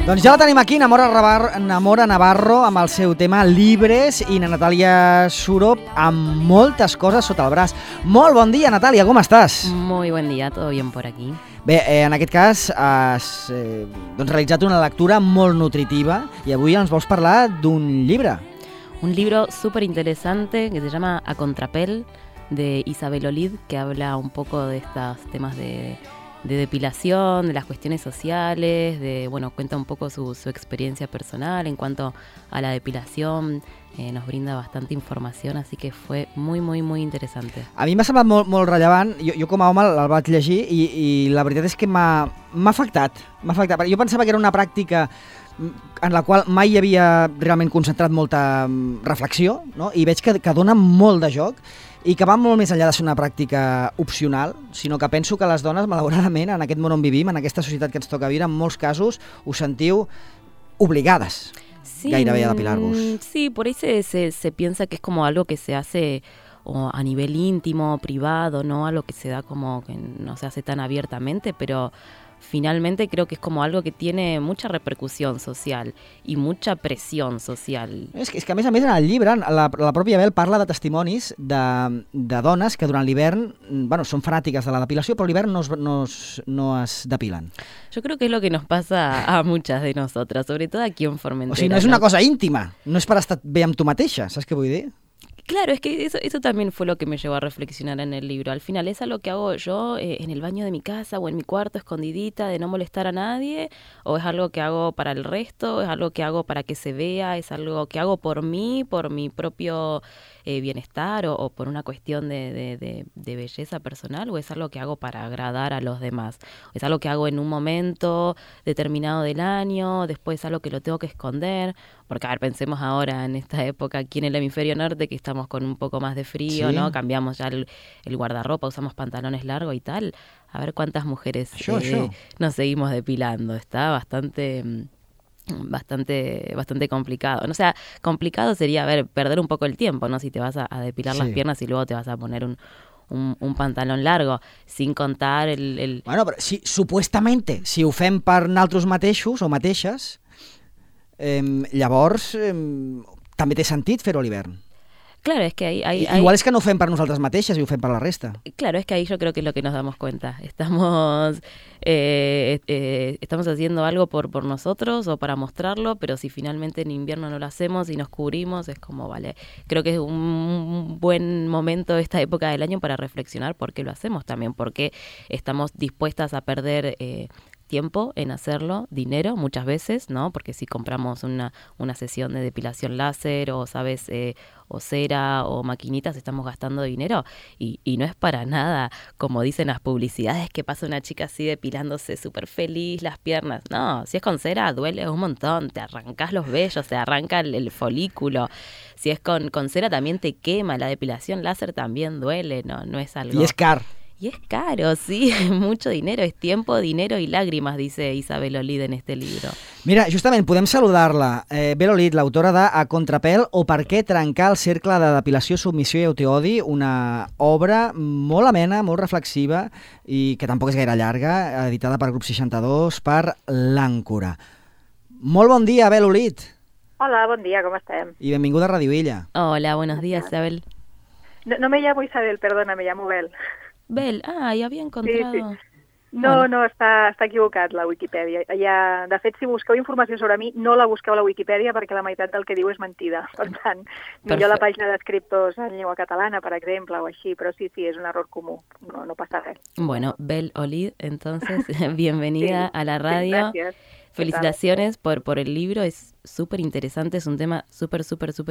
Doncs ja la tenim aquí, Namora Navarro, amb el seu tema Libres, i na Natàlia Surop amb moltes coses sota el braç. Molt bon dia, Natàlia, com estàs? Muy buen día, todo bien por aquí. Bé, en aquest cas has realitzat una lectura molt nutritiva i avui ens vols parlar d'un llibre. Un libro súper interesante que se llama A Contrapel, de Isabel Olid, que habla un poco de estos temas de depilación, de las cuestiones sociales, cuenta un poco su experiencia personal en cuanto a la depilación, nos brinda bastante información, así que fue muy, muy, muy interesante. A mi m'ha semblat molt rellevant, jo com a home el vaig llegir i la veritat és que m'ha afectat. Jo pensava que era una pràctica en la qual mai hi havia realment concentrat molta reflexió, no? I veig que dona molt de joc i que va molt més enllà de ser una pràctica opcional, sinó que penso que les dones, malauradament, en aquest món on vivim, en aquesta societat que ens toca viure, en molts casos us sentiu obligades gairebé a depilar-vos. Sí, por ahí se piensa que es como algo que se hace a nivel íntimo, privado, ¿no? Algo que se da como que no se hace tan abiertamente, pero finalmente creo que es como algo que tiene mucha repercusión social y mucha presión social. És que a més en el llibre, la pròpia Bel parla de testimonis de dones que durant l'hivern són fanàtiques de la depilació, però l'hivern no es depilen. Yo creo que es lo que nos pasa a muchas de nosotras, sobre todo aquí en Formentera. O sigui, no és una cosa íntima, no és per estar bé amb tu mateixa, saps què vull dir? Claro, es que eso también fue lo que me llevó a reflexionar en el libro. Al final, ¿es algo que hago yo en el baño de mi casa o en mi cuarto escondidita de no molestar a nadie? ¿O es algo que hago para el resto? ¿Es algo que hago para que se vea? ¿Es algo que hago por mí, por mi propio bienestar o por una cuestión de belleza personal? ¿O es algo que hago para agradar a los demás? ¿O es algo que hago en un momento determinado del año? ¿Después es algo que lo tengo que esconder? Porque, a ver, pensemos ahora en esta época aquí en el hemisferio norte que estamos con un poco más de frío, sí, ¿no? Cambiamos ya el guardarropa, usamos pantalones largos y tal. A ver cuántas mujeres nos seguimos depilando. Está bastante complicado. O sea, complicado sería, perder un poco el tiempo, ¿no? Si te vas a depilar las piernas y luego te vas a poner un pantalón largo, sin contar el... Bueno, però supuestament, si ho fem per naltros mateixos o mateixes, llavors també té sentit fer-ho a l'hivern. Claro, es que igual es que no ho fem per nosaltres mateixes i ho fem per la resta. Claro, es que ahí yo creo que es lo que nos damos cuenta. Estamos haciendo algo por nosotros o para mostrarlo, pero si finalmente en invierno no lo hacemos y nos cubrimos, es como, vale, creo que es un buen momento esta época del año para reflexionar por qué lo hacemos también, porque estamos dispuestas a perder tiempo en hacerlo, dinero muchas veces, ¿no? Porque si compramos una sesión de depilación láser o, ¿sabes?, o cera o maquinitas, estamos gastando dinero y no es para nada, como dicen las publicidades, que pasa una chica así depilándose súper feliz las piernas. No, si es con cera duele un montón, te arrancás los vellos, te arranca el folículo. Si es con cera también te quema, la depilación láser también duele, no es algo... Y es caro. Y es caro, sí, mucho dinero, es tiempo, dinero y lágrimas, dice Isabel Olid en este libro. Mira, justament podem saludar-la. Bel Olid, l'autora de A Contrapel o Per què trencar el cercle de depilació, submissió i autoodi, una obra molt amena, molt reflexiva i que tampoc és gaire llarga, editada per Grup 62 per l'Àncora. Molt bon dia, Bel Olid. Hola, bon dia, com estem? I benvinguda a Radio Illa. Hola, buenos días, Isabel. No me llamo Isabel, perdona, me llamo Bel. Bel, ya había encontrado... Sí. No, està equivocat la Wikipedia. De fet, si busqueu informació sobre mi, no la busqueu a la Wikipedia perquè la meitat del que diu és mentida. Per tant, millor la pàgina d'escriptors en llengua catalana, per exemple, o així, però sí, és un error comú, no passa res. Bueno, Bel Olid, entonces, bienvenida a la radio. Gracias. Felicitaciones por el libro, es súper interesante, es un tema súper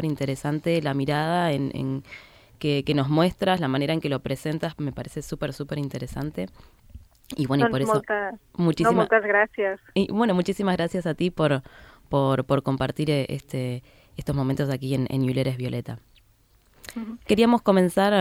interesante, la mirada en que nos muestras, la manera en que lo presentas, me parece súper interesante. Y bueno, y por eso muchísimas gracias. Y bueno, muchísimas gracias a ti por compartir estos momentos aquí en Yuler es Violeta. Uh-huh. Queríamos comenzar,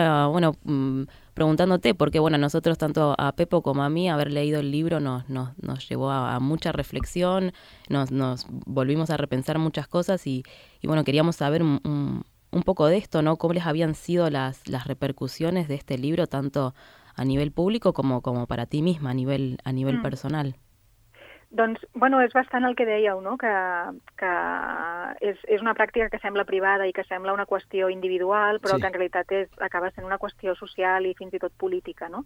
preguntándote, porque bueno, nosotros tanto a Pepo como a mí, haber leído el libro nos llevó a mucha reflexión, nos volvimos a repensar muchas cosas y bueno, queríamos saber un poco de esto, ¿no? ¿Cómo les habían sido las repercusiones de este libro, tanto a nivel público como para ti misma, a nivel personal? Doncs, bueno, és bastant el que dèieu, no? Que és una pràctica que sembla privada i que sembla una qüestió individual, però que en realitat acaba sent una qüestió social i fins i tot política, no?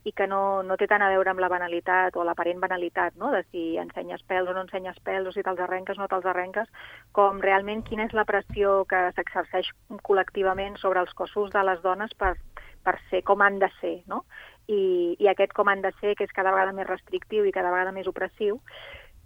I que no té tant a veure amb la banalitat o l'aparent banalitat, no? De si ensenyes pèls o no ensenyes pèls, o si te'ls arrenques o no te'ls arrenques, com realment quina és la pressió que s'exerceix col·lectivament sobre els cossos de les dones per ser com han de ser, no? I aquest com han de ser, que és cada vegada més restrictiu i cada vegada més opressiu.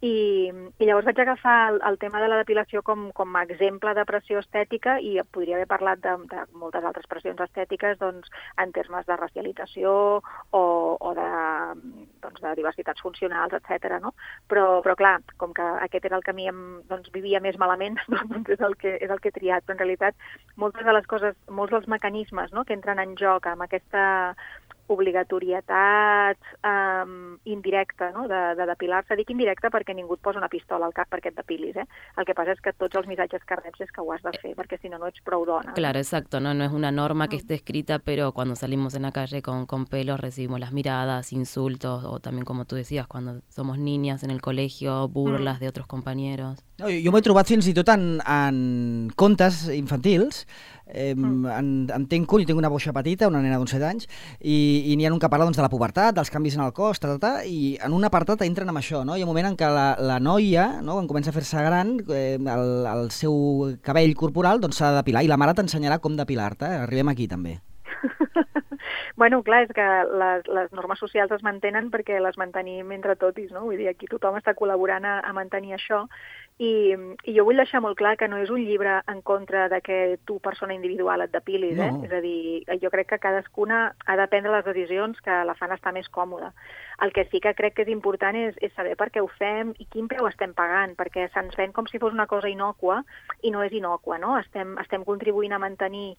I llavors vaig agafar el tema de la depilació com a exemple de pressió estètica i podria haver parlat de moltes altres pressions estètiques doncs, en termes de racialització o de diversitats funcionals, etc. No? Però clar, com que aquest era el camí doncs, vivia més malament, doncs és el que he triat. Però en realitat moltes de les coses, molts dels mecanismes, no, que entren en joc amb aquesta obligatorietat indirecta, no? de depilar-se. Dic indirecta perquè ningú et posa una pistola al cap perquè et depilis. El que pasa es que tots els missatges que reps és que ho has de fer, perquè si no, no ets prou dona. Claro, exacto. No es una norma que esté escrita, pero cuando salimos en la calle con pelos recibimos las miradas, insultos, o también, como tú decías, cuando somos niñas en el colegio, burlas de otros compañeros. No, jo m'ho he trobat fins i tot en contes infantils. En Tenco, jo tinc una boixa petita, una nena d'11 anys, i n'hi ha un que parla doncs, de la pubertat, dels canvis en el cos, i en un apartat entren amb això, no? Hi ha un moment en què la noia, no, quan comença a fer-se gran, el seu cabell corporal doncs, s'ha de depilar, i la mare t'ensenyarà com depilar-te. Arribem aquí també. Bueno, clar, és que les normes socials es mantenen perquè les mantenim entre totis, no? Vull dir, aquí tothom està col·laborant a mantenir això. I jo vull deixar molt clar que no és un llibre en contra de que tu, persona individual, et depilis. No. És a dir, jo crec que cadascuna ha de prendre les decisions que la fan estar més còmoda. El que sí que crec que és important és saber per què ho fem i quin preu estem pagant, perquè se'ns ven com si fos una cosa innòcua i no és innòcua, no? Estem contribuint a mantenir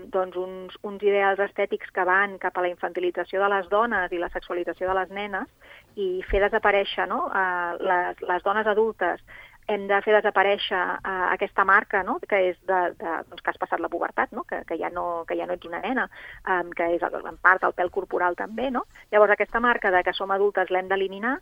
doncs uns ideals estètics que van cap a la infantilització de les dones i la sexualització de les nenes i fer desaparèixer, no? Les dones adultes. Hem de fer desaparèixer aquesta marca, no? Que és doncs, que has passat la pubertat, no? Que ja no ets una nena, que és en part el pèl corporal també, no? Llavors aquesta marca de que som adultes l'hem d'eliminar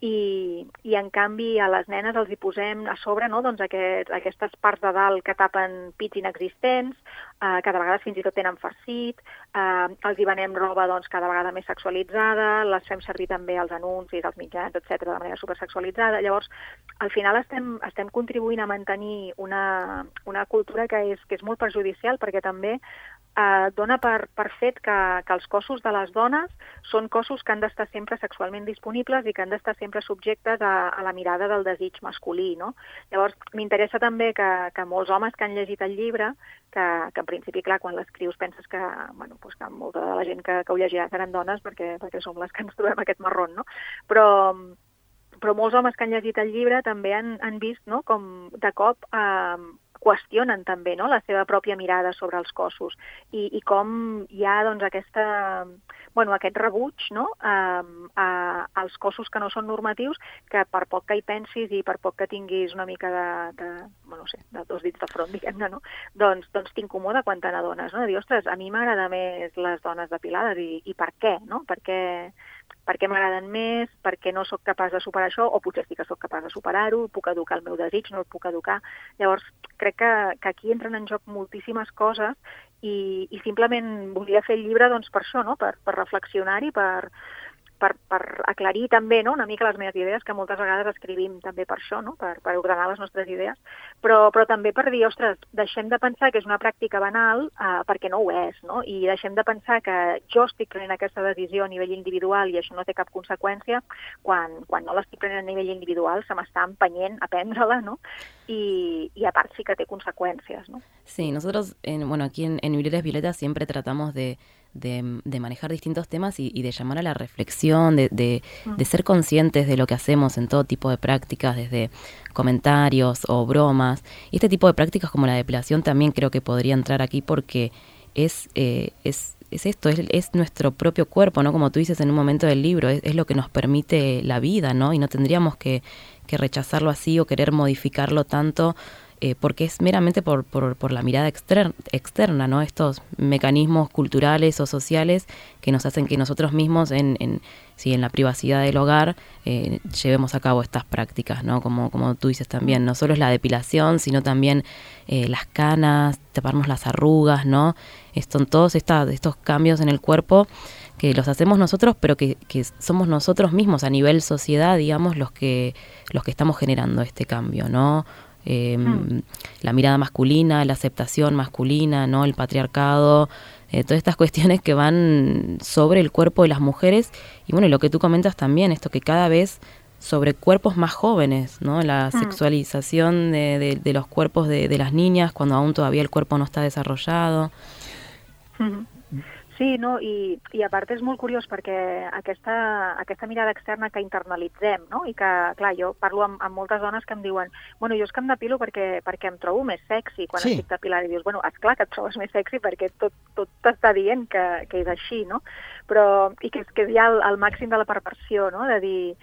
i en canvi a les nenes els hi posem a sobre, no? Doncs aquestes parts de dalt que tapen pits inexistents, que de vegades fins i tot tenen farcit, els hi venem roba doncs, cada vegada més sexualitzada, les fem servir també als anuncis, als mitjans, etc de manera supersexualitzada. Llavors, al final estem contribuint a mantenir una cultura que és molt perjudicial perquè també dona per fet que els cossos de les dones són cossos que han d'estar sempre sexualment disponibles i que han d'estar sempre subjectes a la mirada del desig masculí, no? Llavors, m'interessa també que molts homes que han llegit el llibre, que en principi, clar, quan l'escrius penses que, bueno, doncs que molta de la gent que ho llegirà seran dones perquè som les que ens trobem aquest marrón, no? Però molts homes que han llegit el llibre també han vist, no?, com de cop qüestionen també, no?, la seva pròpia mirada sobre els cossos i com hi ha doncs, aquest rebuig, no?, als cossos que no són normatius, que per poc que hi pensis i per poc que tinguis una mica de dos dits de front, diguem-ne, no?, doncs t'incomoda quan te n'adones, no?, de dir, ostres, a mi m'agrada més les dones depilades i per què, no?, per què m'agraden més, per què no sóc capaç de superar això, o potser sí que sóc capaç de superar-ho, puc educar el meu desig, no el puc educar. Llavors, crec que aquí entren en joc moltíssimes coses i simplement volia fer el llibre doncs, per això, no? Per reflexionar-hi, per aclarir també, no?, una mica les meves idees, que moltes vegades escrivim també per això, no?, per ordenar les nostres idees, però també per dir, ostres, deixem de pensar que és una pràctica banal perquè no ho és, no?, i deixem de pensar que jo estic prenent aquesta decisió a nivell individual i això no té cap conseqüència, quan no l'estic prenent a nivell individual se m'està empenyent a prendre-la, no?, y aparte sí que tiene consecuencias, ¿no? Sí, nosotros, aquí en Librerías Violeta siempre tratamos de manejar distintos temas y de llamar a la reflexión, de ser conscientes de lo que hacemos en todo tipo de prácticas, desde comentarios o bromas. Y este tipo de prácticas como la depilación también creo que podría entrar aquí porque es nuestro propio cuerpo, ¿no? Como tú dices en un momento del libro, es lo que nos permite la vida, ¿no? Y no tendríamos que rechazarlo así o querer modificarlo tanto porque es meramente por la mirada externa, ¿no? Estos mecanismos culturales o sociales que nos hacen que nosotros mismos en la privacidad del hogar llevemos a cabo estas prácticas, ¿no? Como tú dices también, no solo es la depilación, sino también las canas, taparnos las arrugas, ¿no? Son todos estos cambios en el cuerpo que los hacemos nosotros, pero que somos nosotros mismos a nivel sociedad, digamos, los que estamos generando este cambio, ¿no? La mirada masculina, la aceptación masculina, ¿no? El patriarcado, todas estas cuestiones que van sobre el cuerpo de las mujeres y bueno, y lo que tú comentas también, esto que cada vez sobre cuerpos más jóvenes, ¿no? La sexualización de los cuerpos de las niñas cuando aún todavía el cuerpo no está desarrollado. Sí, no? I a part és molt curiós perquè aquesta mirada externa que internalitzem, no? I que, clar, jo parlo amb moltes dones que em diuen bueno, jo és que em depilo perquè em trobo més sexy quan estic depilant. I dius, bueno, esclar que et trobes més sexy perquè tot t'està dient que és així, no? Però, i que és ja el màxim de la perversió, no? De dir,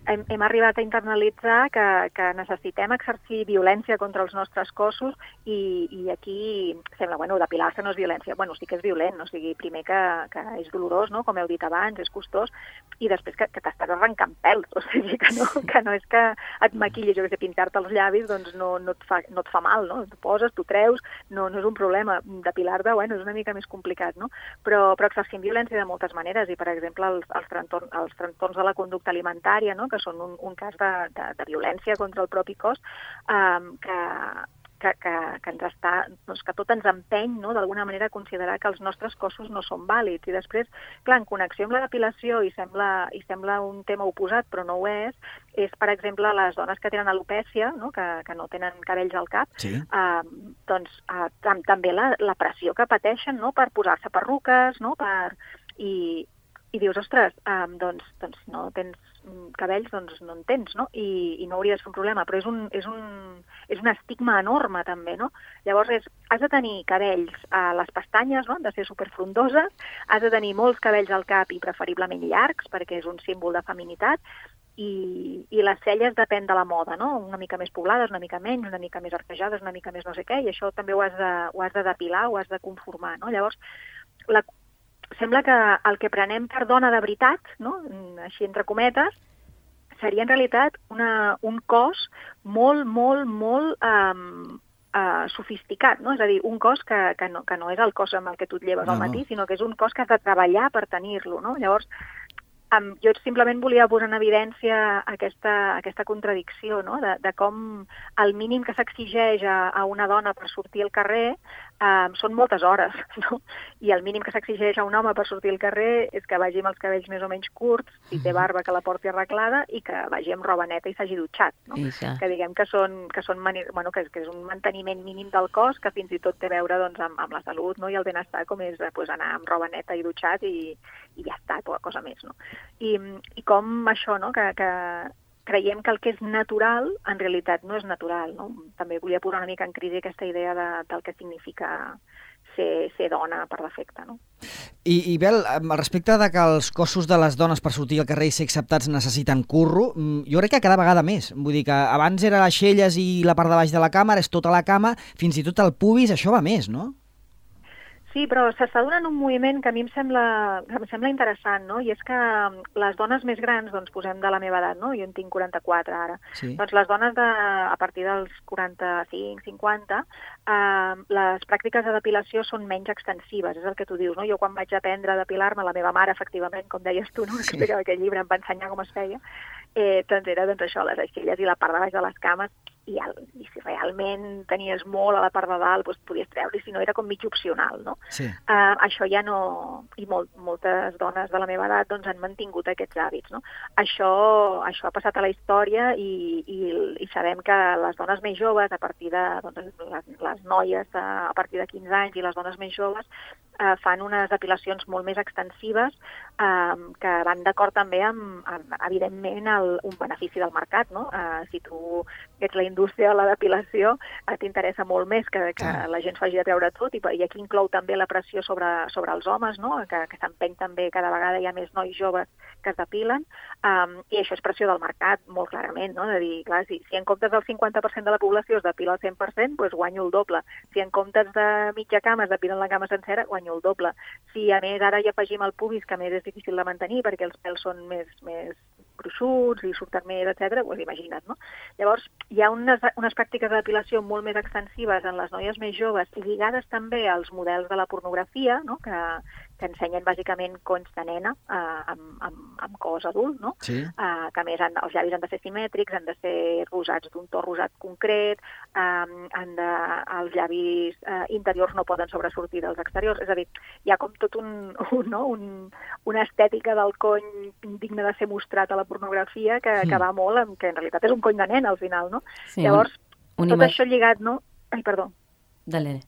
hem arribat a internalitzar que necessitem exercir violència contra els nostres cossos i aquí sembla, bueno, depilar-se no és violència. Bueno, sí que és violent, o sigui, primer que és dolorós, no? Com heu dit abans, és costós, i després que t'estàs arrencant pèls, o sigui, que no és que et maquillis, jo que sé, pintar-te els llavis, doncs no et fa mal, no? Tu poses, tu treus, no és un problema. Depilar-te, bueno, és una mica més complicat, no? Però exercim violència de moltes maneres i, per exemple, els trastorns de la conducta alimentària, no? Que són un cas de violència contra el propi cos, que ens està, doncs, que tot ens empeny, no? D'alguna manera a considerar que els nostres cossos no són vàlids. I després, clar, en connexió amb la depilació, i sembla un tema oposat, però no ho és, per exemple, les dones que tenen alopècia, no? Que no tenen cabells al cap, doncs també la pressió que pateixen, no? Per posar-se perruques, no? I dius, ostres, doncs no tens cabells, doncs no en tens, no? I no hauria de ser un problema, però és un estigma enorme també, no? Llavors has de tenir cabells a les pestanyes, no? Han de ser superfrondoses, has de tenir molts cabells al cap i preferiblement llargs, perquè és un símbol de feminitat, i les celles depèn de la moda, no? Una mica més poblades, una mica menys, una mica més arquejades, una mica més no sé què, i això també ho has de depilar, ho has de conformar, no? Llavors, sembla que el que prenem per dona de veritat, no? Així entre cometes, seria en realitat un cos molt, molt, molt sofisticat, no? És a dir, un cos que no és el cos amb el que tu et lleves al matí, sinó que és un cos que has de treballar per tenir-lo, no? Llavors, jo simplement volia posar en evidència aquesta contradicció, no? De com el mínim que s'exigeix a una dona per sortir al carrer són moltes hores, no? I el mínim que s'exigeix a un home per sortir al carrer és que vagi amb els cabells més o menys curts, si té barba que la porti arreglada i que vagi amb roba neta i s'hagi dutxat, no? Que diguem que és un manteniment mínim del cos que fins i tot té a veure, doncs, amb la salut, no? I el benestar, com és anar amb roba neta i dutxat i ja està, poca cosa més, no? I com això, no? Que creiem que el que és natural, en realitat no és natural, no? També volia posar una mica en crisi aquesta idea del que significa ser dona per defecte, no? I Bel, al respecte de que els cossos de les dones per sortir al carrer i ser acceptats necessiten curro, jo crec que cada vegada més. Vull dir que abans era les xelles i la part de baix de la cama, ara és tota la cama, fins i tot el pubis, això va més, no? Sí, però s'està donant un moviment que a mi em sembla interessant, no? I és que les dones més grans, doncs posem de la meva edat, no? Jo en tinc 44 ara. Sí. Doncs les dones a partir dels 45, 50, les pràctiques de depilació són menys extensives, és el que tu dius, no? Jo quan vaig aprendre a depilar-me, la meva mare, efectivament, com deies tu, no? Que aquell llibre em va ensenyar com es feia, doncs era això, les aixelles i la part de baix de les cames, i si realment tenies molt a la part de dalt, doncs podies treure, si no era com mig opcional, no? Sí. Això ja no... I moltes dones de la meva edat doncs, han mantingut aquests hàbits, no? Això ha passat a la història i sabem que les dones més joves, a partir de... Doncs, les noies a partir de 15 anys i les dones més joves fan unes depilacions molt més extensives que van d'acord també amb evidentment, un benefici del mercat, no? Si tu ets la indústria de la depilació, t'interessa molt més que la gent s'hagi de treure tot, i aquí inclou també la pressió sobre els homes, no? Que s'empeny també, cada vegada hi ha més nois joves que es depilen, i això és pressió del mercat, molt clarament, no? De dir, clar, si en comptes del 50% de la població es depila el 100%, doncs guanyo el doble. Si en comptes de mitja cama es depilen la cama sencera, guanyo el doble. Si a més ara hi afegim el pubis, que a més és difícil de mantenir perquè els pèls són més gruixuts i surten més, etc., doncs imagina't, no? Llavors, hi ha unes pràctiques de depilació molt més extensives en les noies més joves, lligades també als models de la pornografia, no? Que ensenyen bàsicament conys de nena amb cos adult, no? Sí. Que a més els llavis han de ser simètrics, han de ser rosats d'un to rosat concret, els llavis interiors no poden sobresortir dels exteriors, és a dir, hi ha com tot una estètica del cony digne de ser mostrat a la pornografia que va molt amb que en realitat és un cony de nena al final, no? Sí, llavors, tot això lligat, no? Ai, perdó. Dale.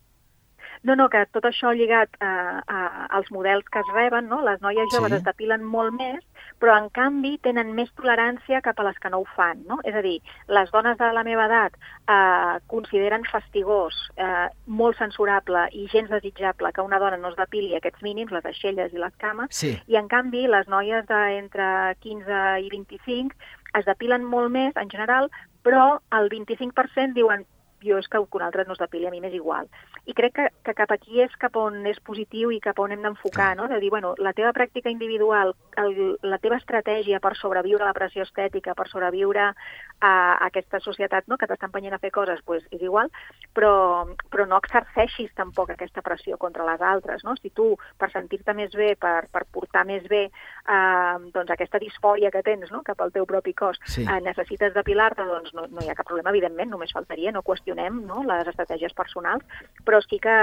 No, que tot això lligat als models que es reben, no? Les noies joves es depilen molt més, però en canvi tenen més tolerància cap a les que no ho fan, no? És a dir, les dones de la meva edat consideren fastigós, molt censurable i gens desitjable que una dona no es depili aquests mínims, les aixelles i les cames, i en canvi les noies d'entre 15 i 25 es depilen molt més en general, però el 25% diuen jo és que un altre no es depili, a mi m'és igual. I crec que cap aquí és cap on és positiu i cap on hem d'enfocar, no? De dir, bueno, la teva pràctica individual, la teva estratègia per sobreviure a la pressió estètica, per sobreviure a aquesta societat, no?, que t'està empenyent a fer coses, doncs és igual, però no exerceixis tampoc aquesta pressió contra les altres, no? Si tu, per sentir-te més bé, per portar més bé doncs aquesta disfòria que tens, no?, cap al teu propi cos, necessites depilar-te, doncs no hi ha cap problema, evidentment, només faltaria, no qüestionem, no?, les estratègies personals, però sí que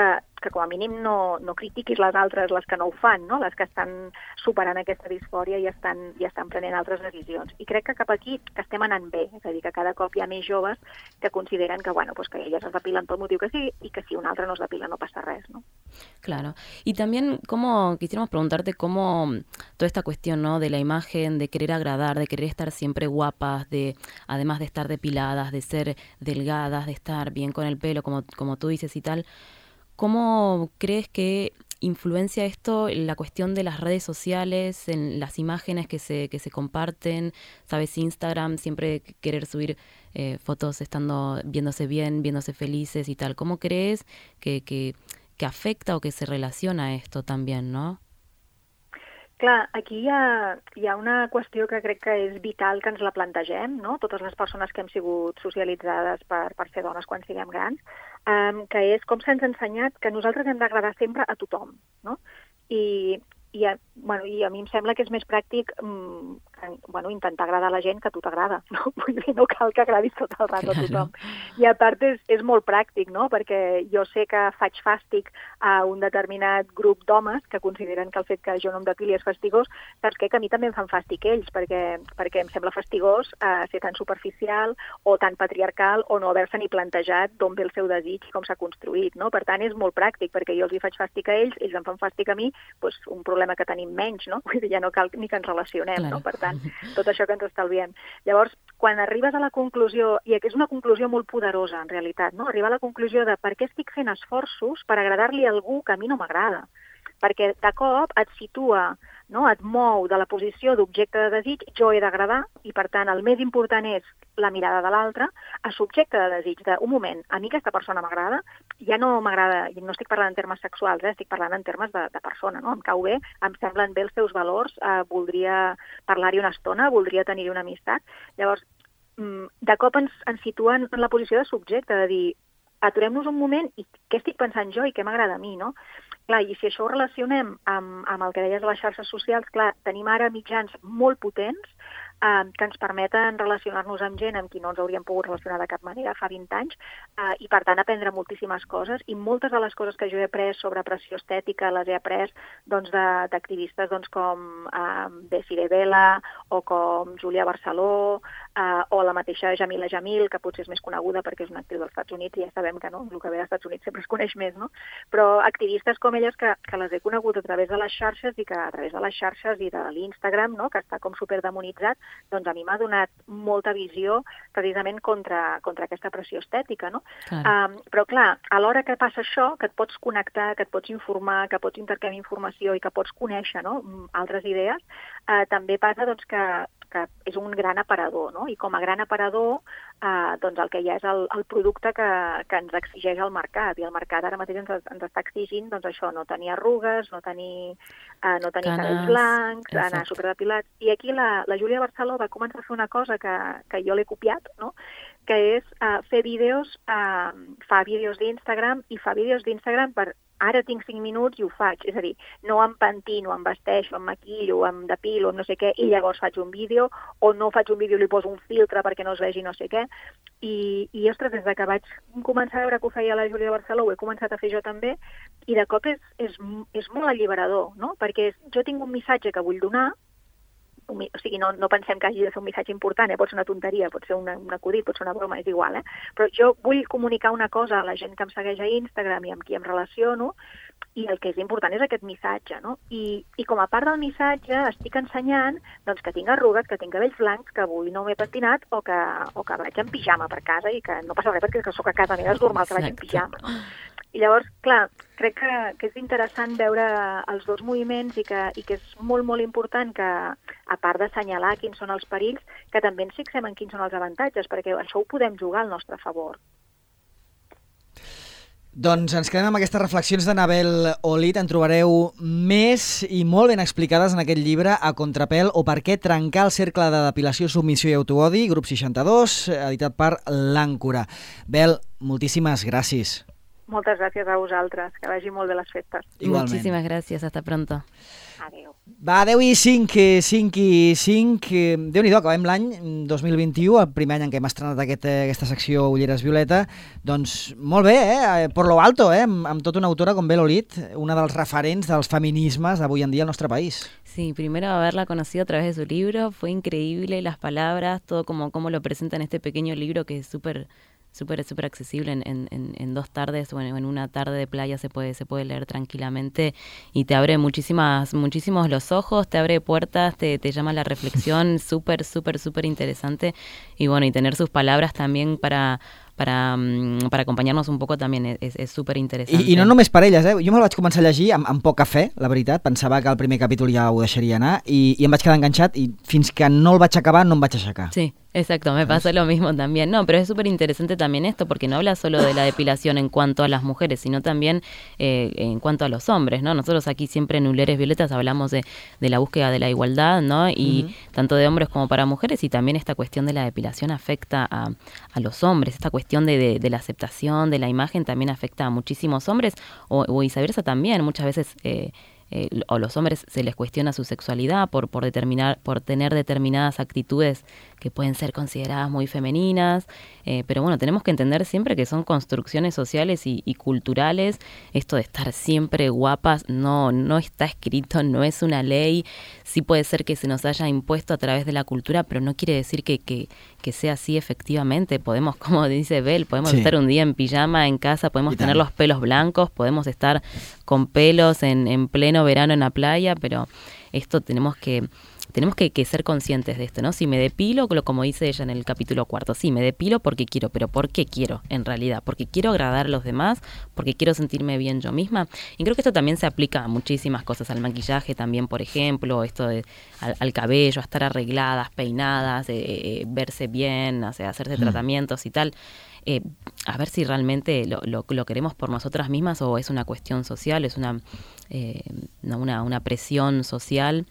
com a mínim no critiquis les altres, les que no ho fan, no?, les que estan superant aquesta disfòria i estan prenent altres decisions. I crec que cap aquí que estem anant bé, és a dir, que cada cop hi ha més joves que consideren que, bueno, pues que elles es depilen pel motiu que sigui y que si un altre no es depila no pasa res, ¿no? Claro. Y también, quisiéramos preguntarte cómo toda esta cuestión, ¿no?, de la imagen, de querer agradar, de querer estar siempre guapas, además de estar depiladas, de ser delgadas, de estar bien con el pelo, como tú dices y tal, ¿cómo crees que influencia esto en la cuestión de las redes sociales, en las imágenes que se comparten? ¿Sabes? Instagram, siempre querer subir fotos viéndose bien, viéndose felices y tal. ¿Cómo crees que afecta o que se relaciona esto también, no? Clar, aquí hi ha una qüestió que crec que és vital que ens la plantegem, no?, totes les persones que hem sigut socialitzades per ser dones quan siguem grans, que és com se'ns ha ensenyat que nosaltres hem d'agradar sempre a tothom, no? I a mi em sembla que és més pràctic intentar agradar a la gent que a tu t'agrada, no? Vull dir, no cal que agradis tot el rato a tothom. I a part és molt pràctic, no? Perquè jo sé que faig fàstic a un determinat grup d'homes que consideren que el fet que jo no em depili és fastigós, saps què? Que a mi també em fan fàstic ells, perquè em sembla fastigós ser tan superficial o tan patriarcal o no haver-se ni plantejat d'on ve el seu desig i com s'ha construït, no? Per tant, és molt pràctic, perquè jo els hi faig fàstic a ells em fan fàstic a mi, doncs un problema que tenim menys, no? Vull dir, ja no cal ni que ens relacionem, claro, no? Per tant, tot això que ens estalviem. Llavors, quan arribes a la conclusió, i és una conclusió molt poderosa, en realitat, no? Arribar a la conclusió de per què estic fent esforços per agradar-li a algú que a mi no m'agrada. Perquè de cop et situa, no?, et mou de la posició d'objecte de desig, jo he d'agradar, i per tant el més important és la mirada de l'altre, a subjecte de desig, un moment, a mi aquesta persona m'agrada, ja no m'agrada, i no estic parlant en termes sexuals, estic parlant en termes de persona, no? Em cau bé, em semblen bé els seus valors, voldria parlar-hi una estona, voldria tenir-hi una amistat. Llavors, de cop ens situen en la posició de subjecte, de dir, aturem-nos un moment i què estic pensant jo i què m'agrada a mi, no? Clar, i si això ho relacionem amb el que deies de les xarxes socials, clar, tenim ara mitjans molt potents que ens permeten relacionar-nos amb gent amb qui no ens hauríem pogut relacionar de cap manera fa 20 anys i, per tant, aprendre moltíssimes coses. I moltes de les coses que jo he après sobre pressió estètica les he après d'activistes com Desiree Vela o com Júlia Barceló o la mateixa Jamila Jamil, que potser és més coneguda perquè és una actriu dels Estats Units i ja sabem que no, el que ve dels Estats Units sempre es coneix més, no? Però activistes com elles que les he conegut a través de les xarxes i que a través de les xarxes i de l'Instagram, no?, que està com superdemonitzat, doncs a mi m'ha donat molta visió precisament contra aquesta pressió estètica, no? Però clar, a l'hora que passa això, que et pots connectar, que et pots informar, que pots intercanviar informació i que pots conèixer, no?, altres idees, també passa doncs, que és un gran aparador, no? I com a gran aparador, doncs el que hi ha és el producte que ens exigeix el mercat, i el mercat ara mateix ens està exigint doncs això, no tenir arrugues, no tenir cabells blancs, anar superdepilats. I aquí la Júlia Barceló va començar a fer una cosa que jo l'he copiat, no?, que és fer vídeos, fa vídeos d'Instagram i fa vídeos d'Instagram per ara tinc 5 minuts i ho faig. És a dir, no em pentino, em vesteixo, em maquillo, em depilo, no sé què, i llavors faig un vídeo, o no faig un vídeo i li poso un filtre perquè no es vegi no sé què. I ostres, des de que vaig començar a veure que ho feia la Júlia Barceló, ho he començat a fer jo també, i de cop és molt alliberador, no? Perquè jo tinc un missatge que vull donar, o sigui, no pensem que hagi de ser un missatge important, pot ser una tonteria, pot ser un acudit, pot ser una broma, és igual, però jo vull comunicar una cosa a la gent que em segueix a Instagram i amb qui em relaciono, i el que és important és aquest missatge, no? I com a part del missatge estic ensenyant doncs, que tinc arrugues, que tinc cabells blancs, que avui no m'he pentinat o que vaig en pijama per casa i que no passa res perquè soc a casa meva, és normal que vaig en pijama. I llavors, clar, crec que és interessant veure els dos moviments i que és molt, molt important que, a part d'assenyalar quins són els perills, que també ens fixem en quins són els avantatges, perquè això ho podem jugar al nostre favor. Doncs ens quedem amb aquestes reflexions de Nabel Olid. En trobareu més i molt ben explicades en aquest llibre, A Contrapèl o per què trencar el cercle de depilació, submissió i autoodi, grup 62, editat per l'Àncora. Bel, moltíssimes gràcies. Moltes gràcies a vosaltres, que vagi molt bé les festes. Igualment. Muchísimas gracias, hasta pronto. Adéu. Va, 10 i 5. Déu-n'hi-do, acabem l'any 2021, el primer any en què hem estrenat aquesta secció Ulleres Violeta. Doncs molt bé, por lo alto, amb tota una autora com Bel Olid, una dels referents dels feminismes d'avui en dia al nostre país. Sí, primero haberla conocido a través de su libro, fue increíble las palabras, todo como lo presenta en este pequeño libro que es súper accesible en 2 tardes o en una tarde de playa se puede leer tranquilamente y te abre muchísimos los ojos, te abre puertas, te llama a la reflexión, súper interesante y bueno, y tener sus palabras también para acompanyar-nos un poc també és superinteressant. I no només per elles, jo me'l vaig començar a llegir amb poca fe, la veritat, pensava que el primer capítol ja ho deixaria anar i em vaig quedar enganxat i fins que no el vaig acabar no em vaig aixecar. Sí, exacto, me pasa lo mismo también. No, pero es súper interesante también esto porque no habla solo de la depilación en cuanto a las mujeres, sino también en cuanto a los hombres, ¿no? Nosotros aquí siempre en Ulleres Violetas hablamos de la búsqueda de la igualdad, ¿no? Y tanto de hombres como para mujeres, y también esta cuestión de la depilación afecta a los hombres, esta cuestión de la aceptación, de la imagen también afecta a muchísimos hombres o viceversa también. Muchas veces o los hombres se les cuestiona su sexualidad por tener determinadas actitudes que pueden ser consideradas muy femeninas, pero bueno, tenemos que entender siempre que son construcciones sociales y culturales. Esto de estar siempre guapas no está escrito, no es una ley. Sí puede ser que se nos haya impuesto a través de la cultura, pero no quiere decir que sea así efectivamente. Podemos, como dice Bel, podemos estar un día en pijama en casa, podemos tener los pelos blancos, podemos estar con pelos en pleno verano en la playa, pero esto tenemos que ser conscientes de esto, ¿no? Si me depilo, como dice ella en el capítulo 4, sí, me depilo porque quiero, pero ¿por qué quiero en realidad? Porque quiero agradar a los demás, porque quiero sentirme bien yo misma. Y creo que esto también se aplica a muchísimas cosas, al maquillaje también, por ejemplo, esto al cabello, a estar arregladas, peinadas, verse bien, o sea, hacerse tratamientos y tal. A ver si realmente lo queremos por nosotras mismas o es una cuestión social, es una presión social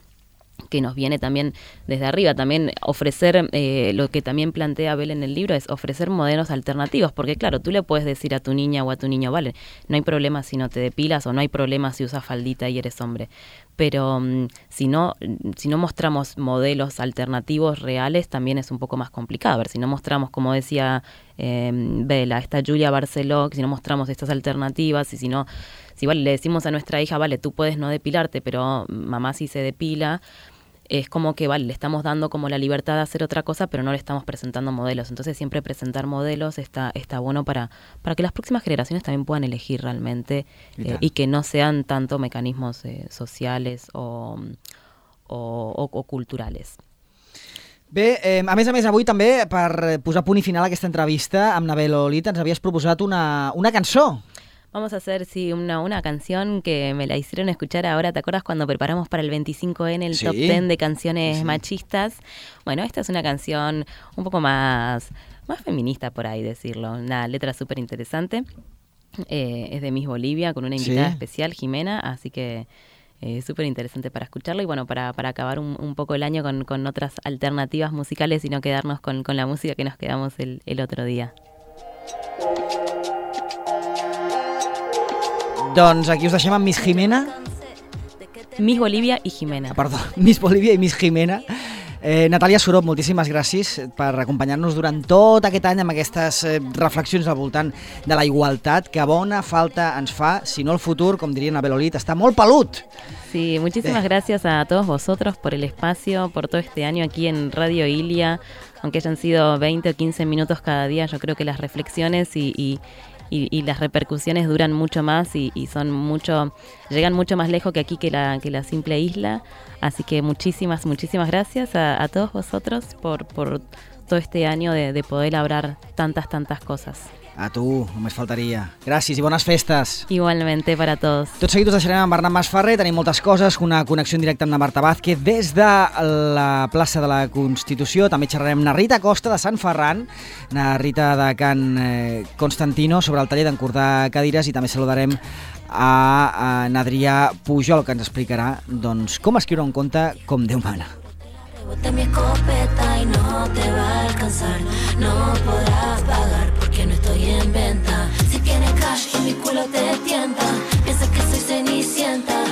que nos viene también desde arriba. También ofrecer, lo que también plantea Bel en el libro, es ofrecer modelos alternativos, porque claro, tú le puedes decir a tu niña o a tu niño, vale, no hay problema si no te depilas o no hay problema si usas faldita y eres hombre, pero si no mostramos modelos alternativos reales, también es un poco más complicado. A ver, si no mostramos, como decía Bel, esta Júlia Barceló, si no mostramos estas alternativas, y si vale, le decimos a nuestra hija, vale, tú puedes no depilarte, pero mamá sí se depila, es como que, vale, le estamos dando como la libertad de hacer otra cosa, pero no le estamos presentando modelos. Entonces siempre presentar modelos está bueno para que las próximas generaciones también puedan elegir realmente y que no sean tanto mecanismos sociales o culturales. Bé, a més, avui també, per posar punt i final a aquesta entrevista amb Nabel Olit, ens havies proposat una cançó. Vamos a hacer, sí, una canción que me la hicieron escuchar ahora. ¿Te acuerdas cuando preparamos para el 25N el top 10 de canciones machistas? Bueno, esta es una canción un poco más feminista, por ahí decirlo. Una letra súper interesante. Es de Miss Bolivia, con una invitada especial, Jimena, así que súper interesante para escucharlo y bueno, para acabar un poco el año con otras alternativas musicales y no quedarnos con la música que nos quedamos el otro día. Doncs aquí us deixem amb Miss Jimena. Miss Bolivia i Jimena. Perdó, Miss Bolivia i Miss Jimena. Natàlia Surop, moltíssimes gràcies per acompanyar-nos durant tot aquest any amb aquestes reflexions al voltant de la igualtat, que bona falta ens fa, si no el futur, com diria Nabel Olit, està molt pelut. Sí, muchísimas gracias a todos vosotros por el espacio, por todo este año aquí en Radio Ilia, aunque hayan sido 20 o 15 minutos cada día, yo creo que las reflexiones y las repercusiones duran mucho más y llegan mucho más lejos que aquí que la simple isla. Así que muchísimas gracias a todos vosotros por todo este año de poder hablar tantas cosas. A tu, només faltaria. Gràcies i bones festes. Igualmente para todos. Tot seguit us deixarem amb Bernat Masferrer, tenim moltes coses, una connexió en directe amb la Marta Vázquez des de la plaça de la Constitució, també xerrarem amb na Rita Costa de Sant Ferran, na Rita de Can Constantino, sobre el taller d'encordar cadires, i també saludarem a Adrià Pujol, que ens explicarà doncs, com escriure un conte com Déu mana. Rebote mi escopeta y no te va a alcanzar, no podrás pagar porque no estoy en venta. Si tienes cash y mi culo te tienta, piensas que soy cenicienta.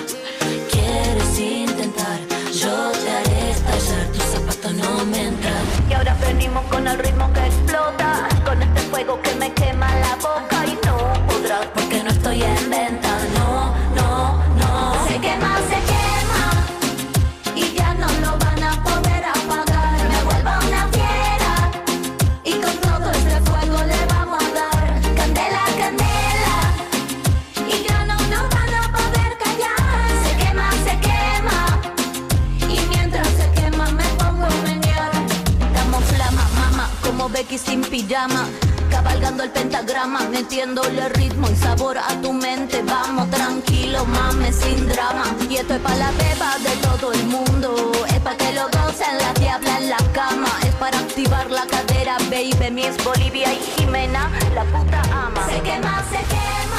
Quieres intentar, yo te haré estallar, tus zapatos no me entran. Y ahora venimos con el ritmo que explota, con este fuego que me quema la boca y no podrás porque no estoy en venta. No, no, no. Se quema y ya no lo van a poder apagar. Me vuelvo una fiera y con todo este fuego le vamos a dar candela, candela y ya no nos van a poder callar. Se quema y mientras se quema me pongo a menear. Damos flama, mamá, como Becky sin pijama, cabalgando el pentagrama, metiéndole ritmo y sabor a tu mente. Vamos tranquilo, mames, sin drama. Y esto es para la beba de todo el mundo, es para que lo gocen la diabla en la cama, es para activar la cadera, baby. Miss Bolivia y Jimena, la puta ama. Se quema, se quema.